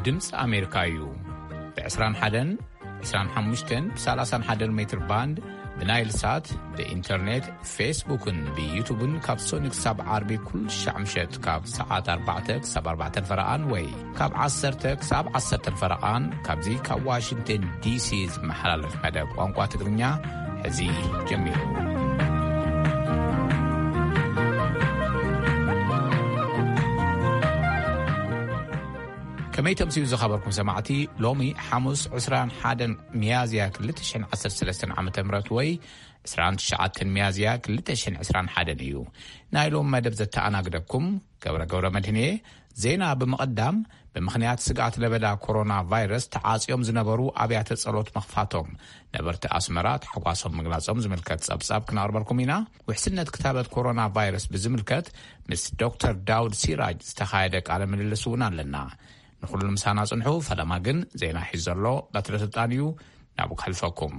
ድምፂ ኣሜሪካ እዩ። ብ21፣ 25፣ ብ31 ሜትር ባንድ፣ ብናይል ሳት፣ ብኢንተርኔት፣ ፌስቡክን ብዩቱብን ካብ ሶኒ ክሳብ ዓርቢ ኩሉ ሻዕ ምሸት ካብ ሰዓት ኣርባዕተ ክሳብ ኣርባዕተ ፈረቓን ወይ ካብ ዓሰርተ ክሳብ ዓሰርተ ፈረቓን ካብዚ ካብ ዋሽንግተን ዲሲ ዝመሓላለፍ መደብ ቋንቋ ትግርኛ ሕዚ ጀሚሩ። ከመይ ተምስዩ ዝኸበርኩም ሰማዕቲ፣ ሎሚ ሓሙስ ዕስራን ሓደን ሚያዝያ ክልተ ሽሕን ዓሰርተ ሰለስተን ዓመተ ምህረት ወይ ዕስራን ትሽዓተን ሚያዝያ ክልተ ሽሕን ዕስራን ሓደን እዩ። ናይ ሎም መደብ ዘተኣናግደኩም ገብረ ገብረ መድህን እየ። ዜና ብምቕዳም፣ ብምኽንያት ስግኣት ለበዳ ኮሮና ቫይረስ ተዓጽዮም ዝነበሩ ኣብያተ ጸሎት ምኽፋቶም ነበርቲ ኣስመራ ታሕጓሶም ምግላጾም ዝምልከት ጸብጻብ ክነቕርበልኩም ኢና። ውሕስነት ክታበት ኮሮና ቫይረስ ብዝምልከት ምስ ዶክተር ዳውድ ሲራጅ ዝተኻየደ ቃለ ምልልስ እውን ኣለና። ንኹሉ ምሳና ጽንሑ። ፈለማ ግን ዜና ሒዙ ዘሎ በትረ ስልጣን እዩ። ናብኡ ከሕልፈኩም።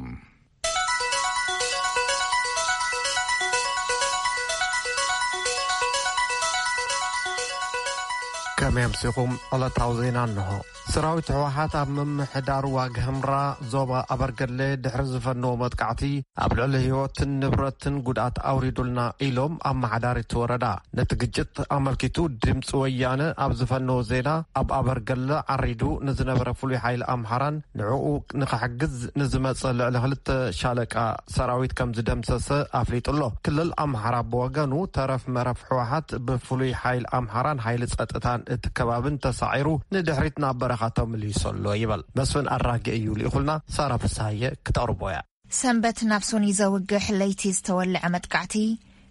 ከመይ ኣምሲኹም? ዕለታዊ ዜና እንሆ። ሰራዊት ህወሓት ኣብ ምምሕዳር ዋግ ህምራ ዞባ ኣበርገለ ድሕሪ ዝፈነዎ መጥቃዕቲ ኣብ ልዕሊ ህይወትን ንብረትን ጉድኣት ኣውሪዱልና ኢሎም ኣመሓዳሪ እቲ ወረዳ። ነቲ ግጭት ኣመልኪቱ ድምፂ ወያነ ኣብ ዝፈነዎ ዜና፣ ኣብ ኣበርገለ ዓሪዱ ንዝነበረ ፍሉይ ሓይሊ ኣምሓራን ንዕኡ ንኽሕግዝ ንዝመፀ ልዕሊ ክልተ ሻለቃ ሰራዊት ከም ዝደምሰሰ ኣፍሊጡ ኣሎ። ክልል ኣምሓራ ብወገኑ፣ ተረፍ መረፍ ህወሓት ብፍሉይ ሓይሊ ኣምሓራን ሓይሊ ጸጥታን እቲ ከባብን ተሳዒሩ ንድሕሪት ናብ በረኻ ተመሊሱ ኣሎ ይበል። መስፍን ኣራጌ እዩ ልኢኹልና፣ ሳራ ፍስሃየ ክተቕርቦ እያ። ሰንበት ናብ ሶኒ ዘውግሕ ለይቲ ዝተወልዐ መጥቃዕቲ፣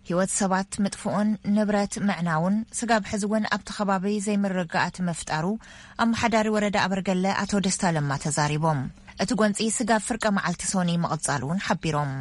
ህይወት ሰባት ምጥፍኡን ንብረት ምዕናውን፣ ስጋብ ሕዚ እውን ኣብቲ ከባቢ ዘይምርግጋኣት ምፍጣሩ፣ ኣመሓዳሪ ወረዳ ኣበርገለ ኣቶ ደስታ ለማ ተዛሪቦም። እቲ ጎንፂ ስጋብ ፍርቀ መዓልቲ ሶኒ ምቕጻሉ እውን ሓቢሮም።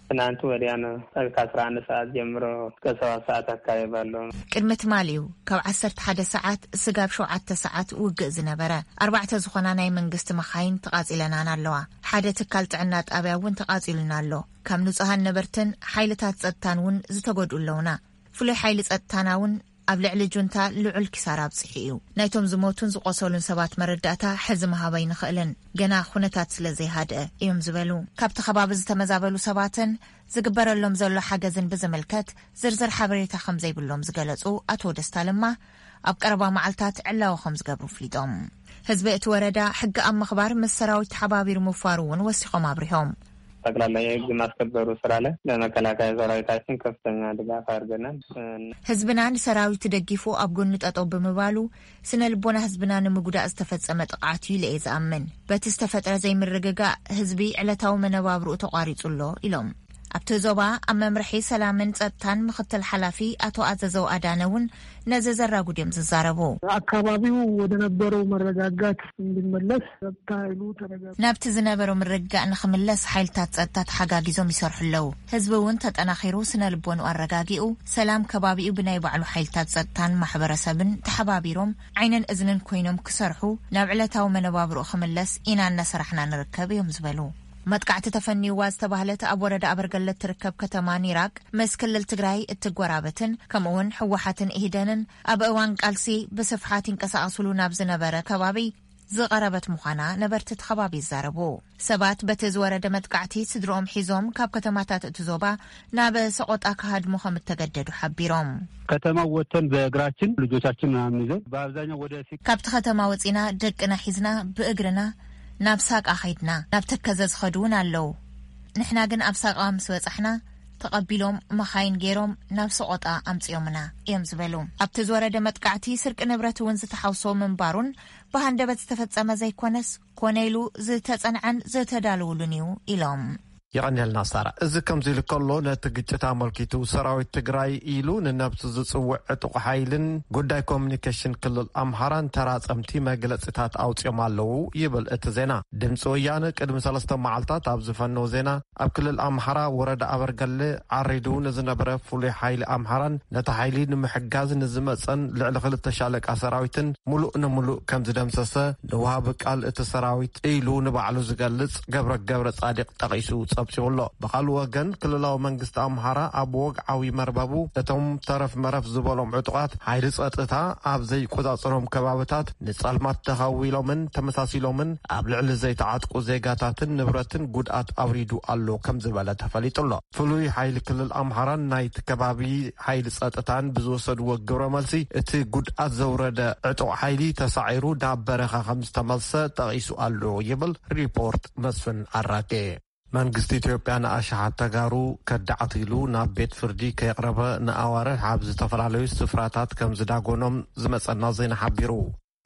ትናንት ወዲያ ነው። ከአስራ አንድ ሰዓት ጀምሮ እስከ ሰባት ሰዓት አካባቢ ባለው። ቅድሚ ትማሊ እዩ ካብ ዓሰርተ ሓደ ሰዓት ስጋብ ሸውዓተ ሰዓት ውግእ ዝነበረ። ኣርባዕተ ዝኾና ናይ መንግስቲ መኻይን ተቓጺለናን ኣለዋ። ሓደ ትካል ጥዕና ጣብያ እውን ተቓጺሉና ኣሎ። ካብ ንጹሃን ነበርትን ሓይልታት ጸጥታን እውን ዝተጎድኡ ኣለውና። ፍሉይ ሓይሊ ጸጥታና እውን ኣብ ልዕሊ ጁንታ ልዑል ኪሳራ ኣብጺሑ እዩ። ናይቶም ዝሞቱን ዝቆሰሉን ሰባት መረዳእታ ሕዚ ምሃብ ኣይንኽእልን፣ ገና ኩነታት ስለ ዘይሃድአ እዮም ዝበሉ። ካብቲ ከባቢ ዝተመዛበሉ ሰባትን ዝግበረሎም ዘሎ ሓገዝን ብዝምልከት ዝርዝር ሓበሬታ ከም ዘይብሎም ዝገለጹ ኣቶ ደስታ ለማ፣ ኣብ ቀረባ መዓልታት ዕላዊ ከም ዝገብሩ ኣፍሊጦም። ህዝቢ እቲ ወረዳ ሕጊ ኣብ ምኽባር ምስ ሰራዊት ተሓባቢሩ ምፋሩ እውን ወሲኾም ኣብሪሆም። ጠቅላላ የህግ ማስከበሩ ስራ ላይ ለመከላከያ ሰራዊታችን ከፍተኛ ድጋፍ አድርገናል። ህዝብና ንሰራዊት ደጊፉ ኣብ ጎኑ ጠጠው ብምባሉ፣ ስነ ልቦና ህዝብና ንምጉዳእ ዝተፈጸመ ጥቕዓት እዩ ኢለ እየ ዝኣምን። በቲ ዝተፈጥረ ዘይምርግጋእ፣ ህዝቢ ዕለታዊ መነባብርኡ ተቋሪጹ ኣሎ ኢሎም። ኣብቲ ዞባ ኣብ መምርሒ ሰላምን ጸጥታን ምኽትል ሓላፊ ኣቶ ኣዘዘው ኣዳነ እውን ነዚ ዘራጉድ እዮም ዝዛረቡ። አካባቢው ወደ ነበረው መረጋጋት እንዲመለስ ጸጥታ ኃይሉ ተረጋጋ። ናብቲ ዝነበሮ ምርግጋእ ንኽምለስ ሓይልታት ጸጥታ ተሓጋጊዞም ይሰርሑ ኣለዉ። ህዝቢ እውን ተጠናኺሩ ስነ ልቦንኡ ኣረጋጊኡ፣ ሰላም ከባቢኡ ብናይ ባዕሉ ሓይልታት ጸጥታን ማሕበረሰብን ተሓባቢሮም ዓይንን እዝንን ኮይኖም ክሰርሑ፣ ናብ ዕለታዊ መነባብርኡ ክምለስ ኢና እናሰራሕና ንርከብ እዮም ዝበሉ። መጥቃዕቲ ተፈንይዋ ዝተባህለት ኣብ ወረዳ ኣበርገለት ትርከብ ከተማ ኒራቅ ምስ ክልል ትግራይ እትጎራበትን ከምኡውን ህወሓትን ኢህደንን ኣብ እዋን ቃልሲ ብስፍሓት ይንቀሳቐስሉ ናብ ዝነበረ ከባቢ ዝቐረበት ምዃና ነበርቲ እቲ ከባቢ ይዛረቡ። ሰባት በቲ ዝወረደ መጥቃዕቲ ስድርኦም ሒዞም ካብ ከተማታት እቲ ዞባ ናብ ሰቆጣ ክሃድሙ ከም እተገደዱ ሓቢሮም። ከተማ ወጥተን በእግራችን ልጆቻችን ምናምን ይዘን በአብዛኛው ወደ ሲክ- ካብቲ ከተማ ወፂና ደቅና ሒዝና ብእግርና ናብ ሳቃ ኸይድና፣ ናብ ተከዘ ዝኸዱ እውን ኣለዉ። ንሕና ግን ኣብ ሳቃ ምስ በጻሕና ተቐቢሎም መኻይን ገይሮም ናብ ሰቆጣ ኣምጺኦምና እዮም ዝበሉ። ኣብቲ ዝወረደ መጥቃዕቲ ስርቂ ንብረት እውን ዝተሓውሶ ምንባሩን ብሃንደበት ዝተፈጸመ ዘይኮነስ ኮነ ኢሉ ዝተጸንዐን ዝተዳለወሉን እዩ ኢሎም። የቐንየልና ሳራ። እዚ ከምዚ ኢሉ ከሎ፣ ነቲ ግጭት ኣመልኪቱ ሰራዊት ትግራይ ኢሉ ንነብሱ ዝጽውዕ ዕጡቕ ሓይልን ጉዳይ ኮሚኒኬሽን ክልል ኣምሓራን ተራጸምቲ መግለጺታት ኣውጺኦም ኣለዉ ይብል እቲ ዜና። ድምፂ ወያነ ቅድሚ ሰለስተ መዓልታት ኣብ ዝፈነው ዜና፣ ኣብ ክልል ኣምሓራ ወረዳ ኣበርገለ ዓሪዱ ንዝነበረ ፍሉይ ሓይሊ ኣምሓራን ነቲ ሓይሊ ንምሕጋዝ ንዝመፀን ልዕሊ ክልተ ሻለቃ ሰራዊትን ሙሉእ ንሙሉእ ከም ዝደምሰሰ ንወሃቢ ቃል እቲ ሰራዊት ኢሉ ንባዕሉ ዝገልጽ ገብረ ገብረ ጻዲቕ ጠቒሱ ኣብጺሑሎ። ብኻልእ ወገን፣ ክልላዊ መንግስቲ ኣምሓራ ኣብ ወግዓዊ መርበቡ፣ እቶም ተረፍ መረፍ ዝበሎም ዕጡቓት ሓይሊ ጸጥታ ኣብ ዘይቆጻጸሮም ከባብታት ንጸልማት ተኸዊሎምን ተመሳሲሎምን ኣብ ልዕሊ ዘይተዓጥቁ ዜጋታትን ንብረትን ጉድኣት ኣውሪዱ ኣሎ ከም ዝበለ ተፈሊጡ ኣሎ። ፍሉይ ሓይሊ ክልል ኣምሓራን ናይቲ ከባቢ ሓይሊ ጸጥታን ብዝወሰድዎ ግብረ መልሲ፣ እቲ ጉድኣት ዘውረደ ዕጡቕ ሓይሊ ተሳዒሩ ናብ በረኻ ከም ዝተመልሰ ጠቒሱ ኣሎ ይብል ሪፖርት መስፍን ኣራጌ። መንግስቲ ኢትዮጵያ ንኣሽሓት ተጋሩ ከዳዕት ኢሉ ናብ ቤት ፍርዲ ከየቕረበ ንኣዋርሕ ኣብ ዝተፈላለዩ ስፍራታት ከም ዝዳጎኖም ዝመጸና ዜና ሓቢሩ።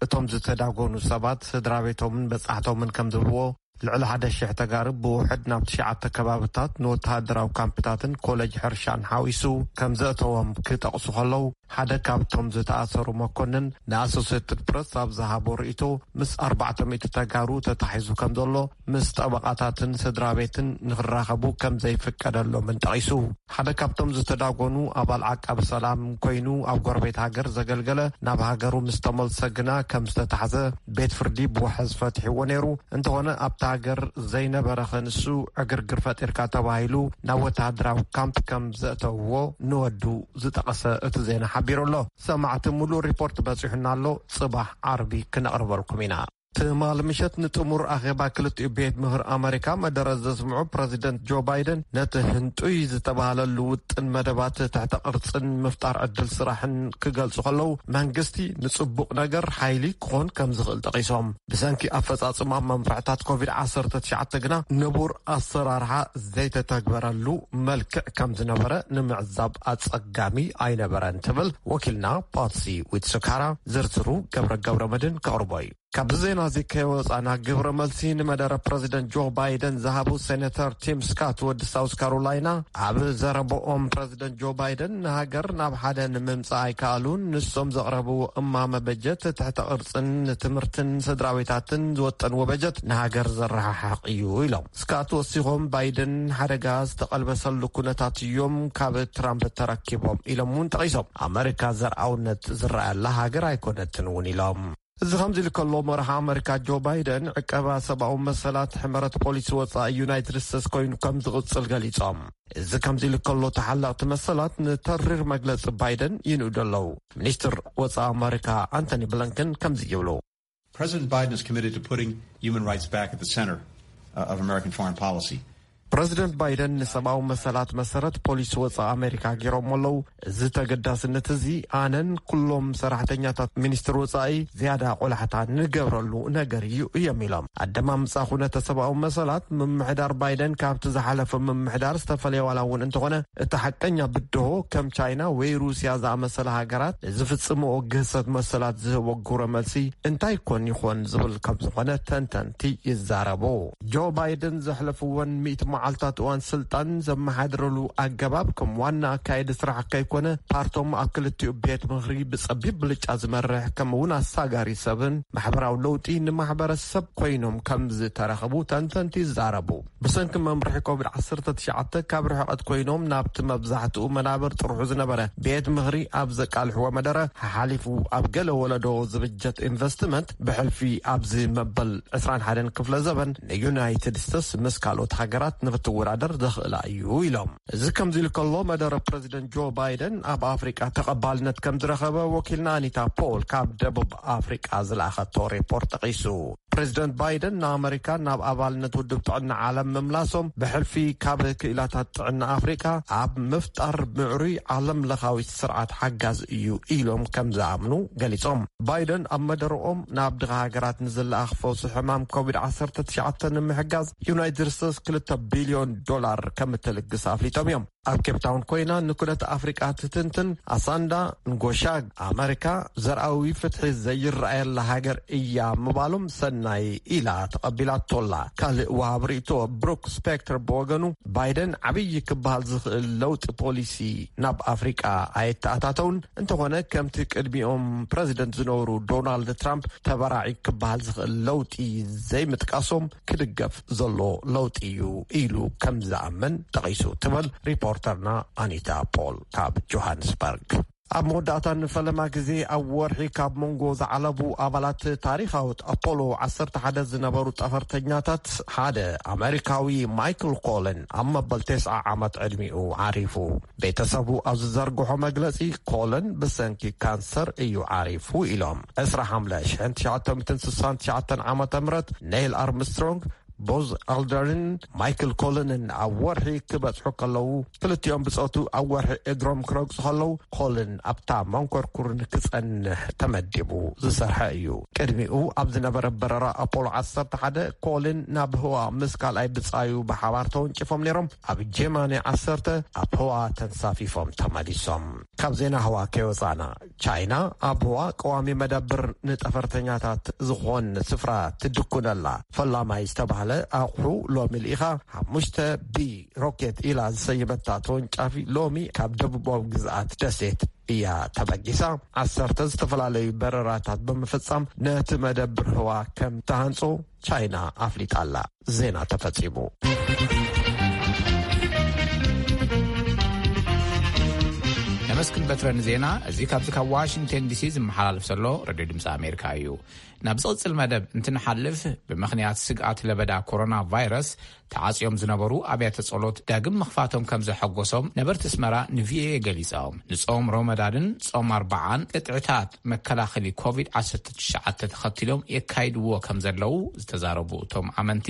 እቶም ዝተዳጎኑ ሰባት ስድራ ቤቶምን በጻሕቶምን ከም ዝብልዎ፣ ልዕሊ ሓደ ሽሕ ተጋሩ ብውሕድ ናብ ትሽዓተ ከባብታት ንወተሃደራዊ ካምፕታትን ኮሌጅ ሕርሻን ሓዊሱ ከም ዘእተዎም ክጠቕሱ ከለዉ፣ ሓደ ካብቶም ዝተኣሰሩ መኮንን ንኣሶሴትድ ፕረስ ኣብ ዝሃቦ ርእይቶ፣ ምስ ኣርባዕተ ሚእቲ ተጋሩ ተታሒዙ ከም ዘሎ፣ ምስ ጠበቓታትን ስድራ ቤትን ንኽራኸቡ ከም ዘይፍቀደሎምን ጠቒሱ። ሓደ ካብቶም ዝተዳጎኑ ኣባል ዓቃቢ ሰላም ኮይኑ ኣብ ጎረቤት ሃገር ዘገልገለ፣ ናብ ሃገሩ ምስ ተመልሰ ግና ከም ዝተታሕዘ ቤት ፍርዲ ብዋሕስ ፈትሕዎ ነይሩ። እንተኾነ ኣብታ ሃገር ዘይነበረ ከንሱ ዕግርግር ፈጢርካ ተባሂሉ ናብ ወተሃደራዊ ካምፕ ከም ዘእተውዎ ንወዱ ዝጠቐሰ እቲ ዜና ሓቢሩ ኣሎ። ሰማዕቲ፣ ሙሉእ ሪፖርት በጺሑና ኣሎ፣ ጽባሕ ዓርቢ ክነቕርበልኩም ኢና። ትማሊ ምሸት ንጥሙር ኣኼባ ክልቲኡ ቤት ምኽሪ ኣመሪካ መደረ ዘስምዑ ፕረዚደንት ጆ ባይደን፣ ነቲ ህንጡይ ዝተባህለሉ ውጥን መደባት ትሕተ ቅርጽን ምፍጣር ዕድል ስራሕን ክገልጹ ከለዉ፣ መንግስቲ ንጽቡቕ ነገር ሓይሊ ክኾን ከም ዝኽእል ጠቒሶም። ብሰንኪ ኣፈጻጽማ መምርሕታት ኮቪድ ዓሰርተ ትሽዓተ ግና ንቡር ኣሰራርሓ ዘይተተግበረሉ መልክዕ ከም ዝነበረ ንምዕዛብ ኣጸጋሚ ኣይነበረን ትብል ወኪልና ፓትሲ ዊትስካራ። ዝርዝሩ ገብረ ገብረ መድን ከቕርቦ እዩ። ካብዚ ዜና እዚ ከይወጻና፣ ግብረ መልሲ ንመደረ ፕረዚደንት ጆ ባይደን ዝሃቡ ሴኔተር ቲም ስካት ወዲ ሳውስ ካሮላይና፣ ኣብ ዘረባኦም ፕረዚደንት ጆ ባይደን ንሃገር ናብ ሓደ ንምምጻእ ኣይከኣሉን፣ ንሶም ዘቕረብዎ እማመ በጀት ትሕተ ቅርጽን ንትምህርትን ስድራቤታትን ዝወጠንዎ በጀት ንሃገር ዘረሓሕቕ እዩ ኢሎም። ስካት ወሲኾም፣ ባይደን ሓደጋ ዝተቐልበሰሉ ኩነታት እዮም ካብ ትራምፕ ተረኪቦም ኢሎም እውን ጠቒሶም። ኣመሪካ ዘርኣውነት ዝረኣየላ ሃገር ኣይኮነትን እውን ኢሎም። እዚ ከምዚ ኢሉ ከሎ፣ መራሒ ኣመሪካ ጆ ባይደን ዕቀባ ሰብኣዊ መሰላት ሕመረት ፖሊሲ ወጻኢ ዩናይትድ ስቴትስ ኮይኑ ከም ዝቕጽል ገሊጾም። እዚ ከምዚ ኢሉ ከሎ፣ ተሓለቕቲ መሰላት ንተሪር መግለጺ ባይደን ይንእዱ ኣለዉ። ሚኒስትር ወጻኢ ኣመሪካ ኣንቶኒ ብሊንከን ከምዚ ይብሉ። President Biden is committed to putting human rights back at the center, uh, of American foreign policy. ፕረዚደንት ባይደን ንሰብኣዊ መሰላት መሰረት ፖሊሲ ወጻኢ ኣመሪካ ገይሮም ኣለዉ። እዚ ተገዳስነት እዚ ኣነን ኩሎም ሰራሕተኛታት ሚኒስትር ወጻኢ ዝያዳ ቆላሕታ ንገብረሉ ነገር እዩ እዮም ኢሎም። ኣደማምጻ ኩነተ ሰብኣዊ መሰላት ምምሕዳር ባይደን ካብቲ ዝሓለፈ ምምሕዳር ዝተፈለየ ዋላ እውን እንተኾነ፣ እቲ ሓቀኛ ብድሆ ከም ቻይና ወይ ሩስያ ዝኣመሰላ ሃገራት ንዝፍጽምኦ ግህሰት መሰላት ዝህቦ ግብረ መልሲ እንታይ ኮን ይኾን ዝብል ከም ዝኾነ ተንተንቲ ይዛረቡ። ጆ ባይደን ዘሕለፍወን ሚእቲ መዓልታት እዋን ስልጣን ዘመሓድረሉ ኣገባብ ከም ዋና ኣካየዲ ስራሕ ከይኮነ፣ ፓርቶም ኣብ ክልቲኡ ቤት ምኽሪ ብጸቢብ ብልጫ ዝመርሕ፣ ከምኡ እውን ኣሳጋሪ ሰብን ማሕበራዊ ለውጢ ንማሕበረሰብ ኮይኖም ከም ዝተረኸቡ ተንተንቲ ይዛረቡ። ብሰንኪ መምርሒ ኮቪድ ዓሰርተ ትሽዓተ ካብ ርሕቐት ኮይኖም ናብቲ መብዛሕትኡ መናብር ጥርሑ ዝነበረ ቤት ምኽሪ ኣብ ዘቃልሕዎ መደረ፣ ሓሓሊፉ ኣብ ገለ ወለዶ ዝብጀት ኢንቨስትመንት ብሕልፊ ኣብዚ መበል ዕስራን ሓደን ክፍለ ዘበን ንዩናይትድ ስቴትስ ምስ ካልኦት ሃገራት ንክትወዳደር ዘኽእላ እዩ ኢሎም። እዚ ከምዚ ኢሉ ከሎ፣ መደረ ፕረዚደንት ጆ ባይደን ኣብ ኣፍሪቃ ተቐባልነት ከም ዝረኸበ ወኪልና ኣኒታ ፖል ካብ ደቡብ ኣፍሪቃ ዝለኣኸቶ ሪፖርት ጠቒሱ። ፕረዚደንት ባይደን ንኣመሪካ ናብ ኣባልነት ውድብ ጥዕና ዓለም ምምላሶም ብሕልፊ ካብ ክኢላታት ጥዕና ኣፍሪቃ ኣብ ምፍጣር ምዕሩይ ዓለም ለኻዊ ስርዓት ሓጋዝ እዩ ኢሎም ከም ዝኣምኑ ገሊጾም። ባይደን ኣብ መደረኦም ናብ ድኻ ሃገራት ንዝለኣኽ ፈውሲ ሕማም ኮቪድ ዓሰርተ ትሽዓተ ንምሕጋዝ ዩናይትድ ስቴትስ ክልተ ቢልዮን ዶላር ከም እትልግስ ኣፍሊጦም እዮም። ኣብ ኬፕታውን ኮይና ንኩነት ኣፍሪቃ ትትንትን ኣሳንዳ ንጎሻግ፣ ኣመሪካ ዘርኣዊ ፍትሒ ዘይረኣየላ ሃገር እያ ምባሎም ሰናይ ኢላ ተቐቢላቶላ። ካልእ ወሃብ ርእይቶ ብሩክ ስፔክተር ብወገኑ፣ ባይደን ዓብዪ ክበሃል ዝኽእል ለውጢ ፖሊሲ ናብ ኣፍሪቃ ኣየተኣታተውን፣ እንተኾነ ከምቲ ቅድሚኦም ፕረዚደንት ዝነበሩ ዶናልድ ትራምፕ ተበራዒ ክበሃል ዝኽእል ለውጢ ዘይምጥቃሶም ክድገፍ ዘሎ ለውጢ እዩ ኢሉ ከም ዝኣምን ጠቒሱ ትብል ሪፖርተርና ኣኒታ ፖል ካብ ጆሃንስበርግ። ኣብ መወዳእታ፣ ንፈለማ ግዜ ኣብ ወርሒ ካብ መንጎ ዝዓለቡ ኣባላት ታሪኻዊት ኣፖሎ ዓሰርተ ሓደ ዝነበሩ ጠፈርተኛታት ሓደ ኣመሪካዊ ማይክል ኮለን ኣብ መበል ተስዓ ዓመት ዕድሚኡ ዓሪፉ። ቤተሰቡ ኣብ ዝዘርግሖ መግለጺ፣ ኮለን ብሰንኪ ካንሰር እዩ ዓሪፉ ኢሎም። ዕስራ ሓምለ ሽሕን ትሽዓተ ሚእትን ስሳን ትሽዓተን ዓመተ ምህረት፣ ኔይል ኣርምስትሮንግ፣ ቦዝ ኣልደርን ማይክል ኮለንን ኣብ ወርሒ ክበጽሑ ከለዉ፣ ክልቲኦም ብጾቱ ኣብ ወርሒ እግሮም ክረግጹ ከለዉ፣ ኮልን ኣብታ መንኮርኩር ንክጸንሕ ተመዲቡ ዝሰርሐ እዩ። ቅድሚኡ ኣብ ዝነበረ በረራ ኣፖሎ ዓሰርተ ሓደ፣ ኮልን ናብ ህዋ ምስ ካልኣይ ብጻዩ ብሓባር ተወንጭፎም ነይሮም። ኣብ ጀማኒ ዓሰርተ ኣብ ህዋ ተንሳፊፎም ተመሊሶም። ካብ ዜና ህዋ ከይወጻና፣ ቻይና ኣብ ህዋ ቀዋሚ መደብር ንጠፈርተኛታት ዝኾን ስፍራ ትድኩነላ። ፈላማይ ዝተባህለ ኣቑሑ ሎሚ ልኢኻ፣ ሓሙሽተ ቢ ሮኬት ኢላ ዝሰየመታ ተወንጫፊ ሎሚ ካብ ደቡባዊ ግዝኣት ደሴት እያ ተበጊሳ። ዓሰርተ ዝተፈላለዩ በረራታት ብምፍጻም ነቲ መደብር ህዋ ከም ተሃንጾ ቻይና ኣፍሊጣ ኣላ። ዜና ተፈጺሙ። ነመስግን በትረ ንዜና። እዚ ካብዚ ካብ ዋሽንግተን ዲሲ ዝመሓላለፍ ዘሎ ሬድዮ ድምፂ ኣሜሪካ እዩ። ናብ ዝቕጽል መደብ እንትንሓልፍ፣ ብምኽንያት ስግኣት ለበዳ ኮሮና ቫይረስ ተዓጽዮም ዝነበሩ ኣብያተ ጸሎት ዳግም ምኽፋቶም ከም ዘሐጎሶም ነበርቲ ኣስመራ ንቪኦኤ ገሊጾም። ንጾም ሮመዳንን ጾም ኣርባዓን ቅጥዕታት መከላኸሊ ኮቪድ ዓሰርተ ትሽዓተ ተኸቲሎም የካይድዎ ከም ዘለዉ ዝተዛረቡ እቶም ኣመንቲ፣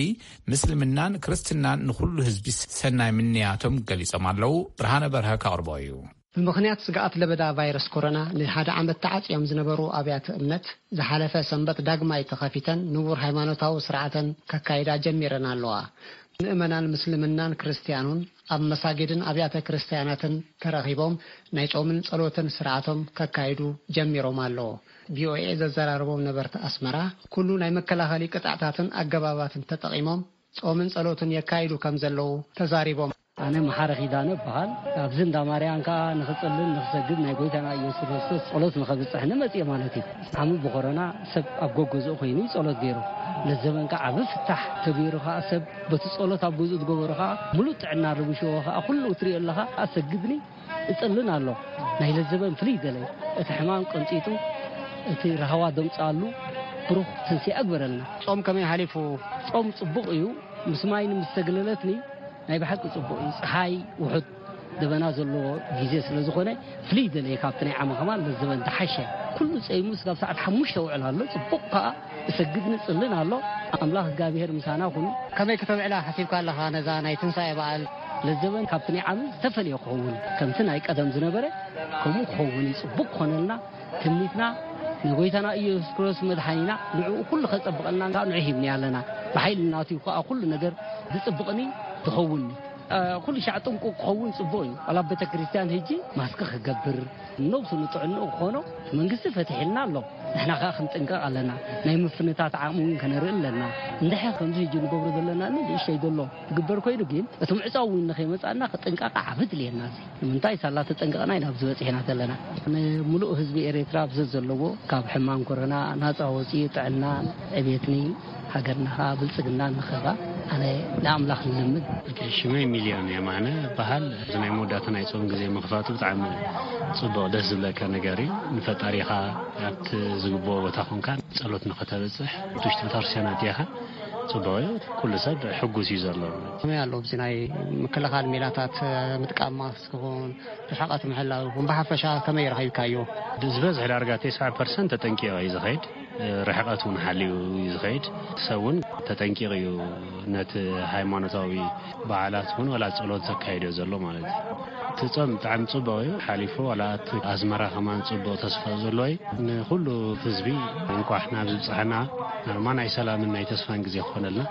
ምስልምናን ክርስትናን ንኹሉ ህዝቢ ሰናይ ምንያቶም ገሊጾም ኣለዉ። ብርሃነ በርሀ ከቕርቦ እዩ። ብምኽንያት ስግኣት ለበዳ ቫይረስ ኮሮና ንሓደ ዓመት ተዓጽዮም ዝነበሩ ኣብያተ እምነት ዝሓለፈ ሰንበት ዳግማይ ተኸፊተን ንቡር ሃይማኖታዊ ስርዓተን ከካይዳ ጀሚረን ኣለዋ። ምእመናን ምስልምናን ክርስትያኑን ኣብ መሳጊድን ኣብያተ ክርስትያናትን ተረኺቦም ናይ ጾምን ጸሎትን ስርዓቶም ከካይዱ ጀሚሮም ኣለዉ። ቪኦኤ ዘዘራረቦም ነበርቲ ኣስመራ፣ ኩሉ ናይ መከላኸሊ ቅጥዕታትን ኣገባባትን ተጠቒሞም ጾምን ጸሎትን የካይዱ ከም ዘለዉ ተዛሪቦም። ኣነ መሓረ ኪዳነ እበሃል። ኣብዚ እንዳ ማርያም ከኣ ንኽጽልን ንኽሰግድ ናይ ጎይታና ኢየሱስ ክርስቶስ ጸሎት ንኸብጽሕ ንመጽእ ማለት እዩ። ዓሚ ብኮሮና ሰብ ኣብ ጎጎዝኡ ኮይኑ እዩ ጸሎት ገይሩ። ለዘበን ከኣ ዓቢ ፍታሕ ተገይሩ ከኣ ሰብ በቲ ጸሎት ኣብ ገዝኡ ዝገበሮ ከኣ ምሉእ ጥዕና ረቢሽዎ ከኣ ኩሉ ትሪኦ ኣለኻ። ኣሰግድኒ እጽልን ኣሎ። ናይ ለዘበን ፍልይ ገለ እቲ ሕማም ቀንጢጡ እቲ ራህዋ ደምጽኣሉ ብሩኽ ትንሲኣ ግበረልና። ጾም ከመይ ሓሊፉ? ጾም ጽቡቕ እዩ። ምስ ማይ ምስ ተግለለትኒ ናይ ብሓቂ ጽቡቕ እዩ። ጸሓይ ውሑድ ደበና ዘለዎ ግዜ ስለ ዝኾነ ፍልይ ደለየ ካብቲ ናይ ዓመ ከማን ለዘበን ዝሓሸ። ኩሉ ጸይሙ ስጋብ ሰዓት ሓሙሽተ ውዕል ኣሎ። ጽቡቕ ከኣ እሰግድ ንጽልን ኣሎ። ኣምላኽ እግዚኣብሔር ምሳና ኩኑ። ከመይ ክተብዕላ ሓሲብካ ኣለኻ ነዛ ናይ ትንሳኤ በዓል? ለዘበን ካብቲ ናይ ዓሚ ዝተፈልየ ክኸውን፣ ከምቲ ናይ ቀደም ዝነበረ ከምኡ ክኸውን እዩ። ጽቡቕ ክኾነልና ትምኒትና ንጎይታና ኢየሱስ ክርስቶስ መድሓኒና ንዕኡ ኩሉ ከጸብቐልና ንዑ ሂብኒ ኣለና። ብሓይሊ ናቱ እዩ ከኣ ኩሉ ነገር ዝጽብቕኒ ዝኸውንኒ። እ፣ ኩሉ ሻዕ ጥንቁቕ ክኸውን ጽቡቕ እዩ። ዋላ ኣብ ቤተ ክርስቲያን ሂጂ ማስክ ክገብር፣ ነብሱ ንጥዕንኡ ክኾኖ እቲ መንግስቲ ፈቲሕልና ኣሎ። ንሕና ከኣ ክንጥንቀቕ ኣለና። ናይ ምፍንታት ዓቕሚ እውን ከነርኢ ኣለና። እንድሕር ከምዚ ሂጂ ንገብሮ ዘለና ንእሽተይ ዘሎ ትግበር ኮይኑ ግን እቲ ምዕጻው እውን ንኸይመጻና ክጥንቃቐ ዓቢ ድልየና እዚ። ንምንታይ ሳላ ተጠንቀቕና ኢና ኣብዚ በጺሕና ዘለና። ንሙሉእ ህዝቢ ኤርትራ ኣብ ዘዘለዎ ካብ ሕማም ኮሮና ናጻ ወጺኡ ጥዕናን ዕቤትኒ ሃገርና ኸኣ ብልጽግና ንኸባ ኣነ ንኣምላኽ ንልምን። ኦኬ፣ ሽመይ ሚልዮን የማነ በሃል። እዚ ናይ መወዳእታ ናይ ጾም ግዜ ምኽፋቱ ብጣዕሚ ጽቡቕ ደስ ዝብለካ ነገር እዩ። ንፈጣሪኻ ኣብቲ ዝግብኦ ቦታ ኮንካ ጸሎት ንኸተበጽሕ ውሽጢ ቤተክርስትያናት ዲኻ ጽቡቕ እዩ። ኩሉ ሰብ ሕጉስ እዩ ዘሎ። ከመይ ኣሎ ኣብዚ ናይ ምክልኻል ሜላታት ምጥቃም ማስክ ይኹን ርሕቐት ምሕላው ይኹን ብሓፈሻ ከመይ ረኺብካዮ? ዝበዝሕ ዳርጋ ተስዓ ፐርሰንት ተጠንቂቑ እዩ ዝኸይድ። ርሕቐት እውን ሓልዩ እዩ ዝኸይድ። ሰብ እውን ተጠንቂቑ እዩ ነቲ ሃይማኖታዊ በዓላት እውን ዋላ ጸሎት ዘካይዶ ዘሎ ማለት እዩ። እቲ ጾም ብጣዕሚ ጽቡቕ እዩ ሓሊፉ። ዋላ እቲ ኣዝመራ ከማን ጽቡቕ ተስፋ ዘሎ እዩ። ንኹሉ ህዝቢ እንቋዕ ናብ ዝብጽሐና ናርማ ናይ ሰላምን ናይ ተስፋን ግዜ ክኾነልና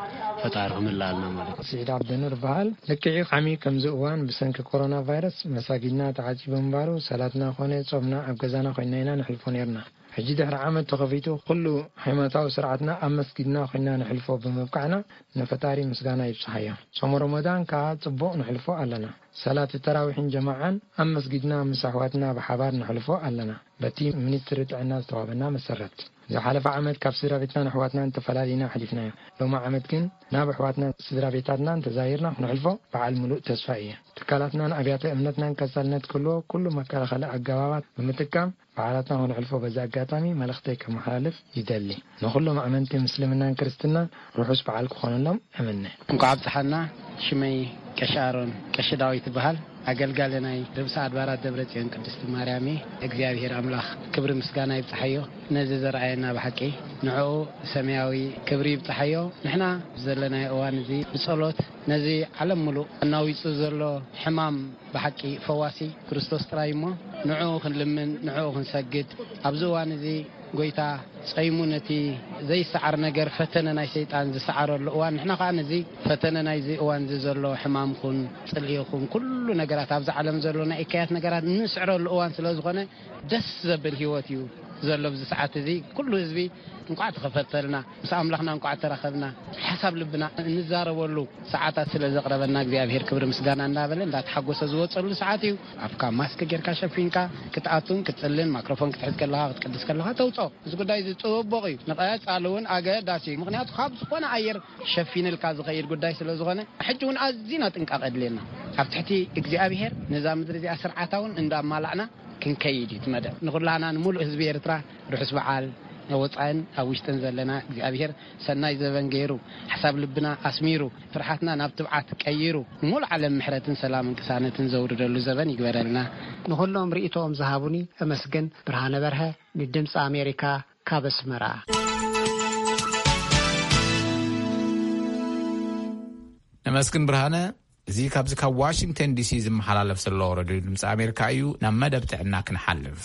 ፈጣሪ ክምልኣልና ማለት እዩ። ስዒድ ዓብደኑር በሃል። ልክዕ እዩ፣ ዓሚ ከምዚ እዋን ብሰንኪ ኮሮና ቫይረስ መሳጊድና ተዓጺቡ ምንባሩ ሰላትና ኮነ ጾምና ኣብ ገዛና ኮይንና ኢና ንሕልፎ ነይርና። ሕጂ ድሕሪ ዓመት ተኸፊቱ ኩሉ ሃይማኖታዊ ስርዓትና ኣብ መስጊድና ኮይንና ንሕልፎ ብምብቃዕና ንፈጣሪ ምስጋና ይብጽሓዮ። ጾም ረመዳን ከኣ ጽቡቕ ንሕልፎ ኣለና። ሰላት ተራዊሕን ጀማዓን ኣብ መስጊድና ምስ ኣሕዋትና ብሓባር ንሕልፎ ኣለና፣ በቲ ሚኒስትሪ ጥዕና ዝተዋህበና መሰረት። ዝሓለፈ ዓመት ካብ ስድራ ቤትናን ኣሕዋትናን ተፈላሊና ኣሕሊፍናዮ። ሎሚ ዓመት ግን ናብ ኣሕዋትናን ስድራ ቤታትናን ተዛይርና ክነሕልፎ በዓል ምሉእ ተስፋ እየ። ትካላትናን ኣብያተ እምነትናን ቀጻልነት ክህልዎ ኩሉ መከላኸሊ ኣገባባት ብምጥቃም በዓላትና ክነሕልፎ በዚ ኣጋጣሚ መልእኽተይ ከመሓላልፍ ይደሊ። ንኹሎም ኣመንቲ ምስልምናን ክርስትናን ርሑስ በዓል ክኾነሎም እምነ። እንኳዕ ኣብጽሓና። ሽመይ ቀሺ ኣሮን ቀሺ ዳዊት ይበሃል። ኣገልጋሊ ናይ ርእሰ ኣድባራት ደብረ ጽዮን ቅድስቲ ማርያም እየ። እግዚኣብሔር ኣምላኽ ክብሪ ምስጋና ይብጽሓዮ፣ ነዚ ዘርኣየና ብሓቂ ንዕኡ ሰማያዊ ክብሪ ይብጽሓዮ። ንሕና ዘለናዮ እዋን እዚ ብጸሎት ነዚ ዓለም ምሉእ ኣናዊጹ ዘሎ ሕማም ብሓቂ ፈዋሲ ክርስቶስ ጥራይ እሞ ንዕኡ ክንልምን፣ ንዕኡ ክንሰግድ፣ ኣብዚ እዋን እዚ ጎይታ ጸይሙ ነቲ ዘይሰዓር ነገር ፈተነ ናይ ሰይጣን ዝሰዓረሉ እዋን፣ ንሕና ከኣ ነዚ ፈተነ ናይዚ እዋን እዚ ዘሎ ሕማምኹን ጽልኢኹን ኩሉ ነገራት ኣብዚ ዓለም ዘሎ ናይ እከያት ነገራት እንስዕረሉ እዋን ስለ ዝኾነ ደስ ዘብል ህይወት እዩ ዘሎ ኣብዚ ሰዓት እዚ። ኩሉ ህዝቢ እንቋዕ ተኸፈተልና፣ ምስ ኣምላኽና እንቋዕ ተራኸብና፣ ሓሳብ ልብና እንዛረበሉ ሰዓታት ስለ ዘቕረበና እግዚኣብሔር ክብሪ ምስጋና እንዳበለ እንዳተሓጎሰ ዝወጸሉ ሰዓት እዩ። ኣፍካ ማስክ ጌርካ ሸፊንካ ክትኣቱን ክትጽልን ማክሮፎን ክትሕዝ ከለኻ ክትቅድስ ከለኻ ተውጾ። እዚ ጉዳይ እዚ ጽቡቕ እዩ፣ ንቐጻሊ እውን ኣገዳሲ እዩ። ምኽንያቱ ካብ ዝኾነ ኣየር ሸፊንልካ ዝኸይድ ጉዳይ ስለ ዝኾነ ሕጂ እውን ኣዚና ጥንቃቐ የድልየና። ኣብ ትሕቲ እግዚኣብሔር ነዛ ምድሪ እዚኣ ስርዓታ እውን እንዳማላዕና ክንከይድ እዩ እቲ መደብ። ንኹላና ንምሉእ ህዝቢ ኤርትራ ርሑስ በዓል ኣብ ወጻእን ኣብ ውሽጥን ዘለና እግዚኣብሔር ሰናይ ዘበን ገይሩ፣ ሓሳብ ልብና ኣስሚሩ፣ ፍርሓትና ናብ ትብዓት ቀይሩ፣ ንሙሉእ ዓለም ምሕረትን ሰላምን ቅሳነትን ዘውርደሉ ዘበን ይግበረልና። ንኹሎም ርእይቶኦም ዝሃቡኒ እመስግን። ብርሃነ በርሀ ንድምፂ ኣሜሪካ ካብ ኣስመራ። ነመስግን ብርሃነ። እዚ ካብዚ ካብ ዋሽንግተን ዲሲ ዝመሓላለፍ ዘሎ ረድዮ ድምፂ ኣሜሪካ እዩ። ናብ መደብ ጥዕና ክንሓልፍ።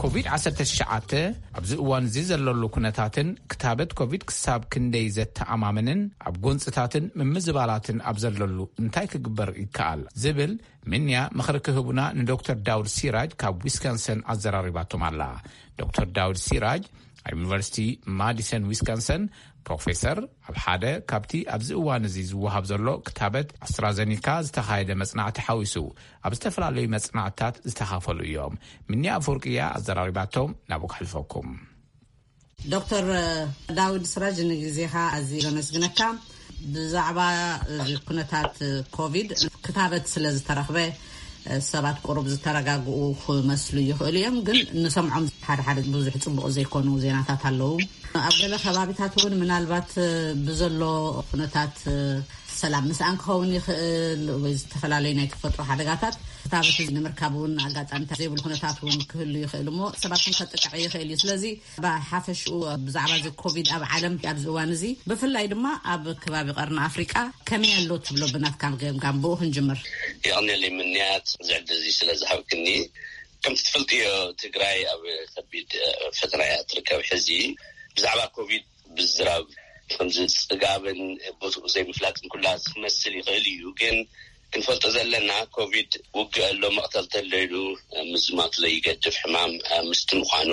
ኮቪድ ዓሰርተ ትሽዓተ ኣብዚ እዋን እዚ ዘለሉ ኩነታትን ክታበት ኮቪድ ክሳብ ክንደይ ዘተኣማምንን ኣብ ጎንፅታትን ምምዝባላትን ኣብ ዘለሉ እንታይ ክግበር ይከኣል ዝብል ምንያ ምኽሪ ክህቡና ንዶክተር ዳውድ ሲራጅ ካብ ዊስካንሰን ኣዘራሪባቶም ኣላ። ዶክተር ዳውድ ሲራጅ ኣብ ዩኒቨርሲቲ ማዲሰን ዊስካንሰን ፕሮፌሰር፣ ኣብ ሓደ ካብቲ ኣብዚ እዋን እዚ ዝወሃብ ዘሎ ክታበት ኣስትራዘኒካ ዝተኻየደ መጽናዕቲ ሓዊሱ ኣብ ዝተፈላለዩ መጽናዕትታት ዝተኻፈሉ እዮም። ምንያ ኣፈወርቂ እያ ኣዘራሪባቶም። ናብኡ ከሕልፈኩም። ዶክተር ዳውድ ስራጅ፣ ንግዜኻ ኣዝየ ዘመስግነካ። ብዛዕባ እዚ ኩነታት ኮቪድ ክታበት ስለ ዝተረኽበ ሰባት ቁሩብ ዝተረጋግኡ ክመስሉ ይኽእሉ እዮም፣ ግን ንሰምዖም ሓደ ሓደ ብዙሕ ጽቡቕ ዘይኮኑ ዜናታት ኣለዉ። ኣብ ገለ ከባቢታት እውን ምናልባት ብዘሎ ኩነታት ሰላም ምስኣን ክኸውን ይኽእል ወይ ዝተፈላለዩ ናይ ተፈጥሮ ሓደጋታት ክታበት እዚ ንምርካብ እውን ኣጋጣሚታት ዘይብሉ ኩነታት እውን ክህሉ ይኽእል እሞ ሰባት እውን ከጥቅዕ ይኽእል እዩ። ስለዚ ብሓፈሽኡ ብዛዕባ እዚ ኮቪድ ኣብ ዓለም ኣብዚ እዋን እዚ ብፍላይ ድማ ኣብ ከባቢ ቀርኒ ኣፍሪቃ ከመይ ኣሎ ትብሎ ብናትካ ገምጋም ብኡ ክንጅምር። የቐንየለይ ምንያት እዚ ዕድል እዚ ስለ ዝሃብክኒ። ከምቲ ትፈልጥዮ ትግራይ ኣብ ከቢድ ፈተና እያ ትርከብ። ሕዚ ብዛዕባ ኮቪድ ብዝራብ ከምዚ ጽጋብን ቦትኡ ዘይምፍላጥን ኩላ ክመስል ይኽእል እዩ። ግን ክንፈልጦ ዘለና ኮቪድ ውግእ ኣሎ፣ መቕተልቲ ኣሎ ኢሉ ምዝማቱ ዘይገድፍ ሕማም ምስቲ ምዃኑ፣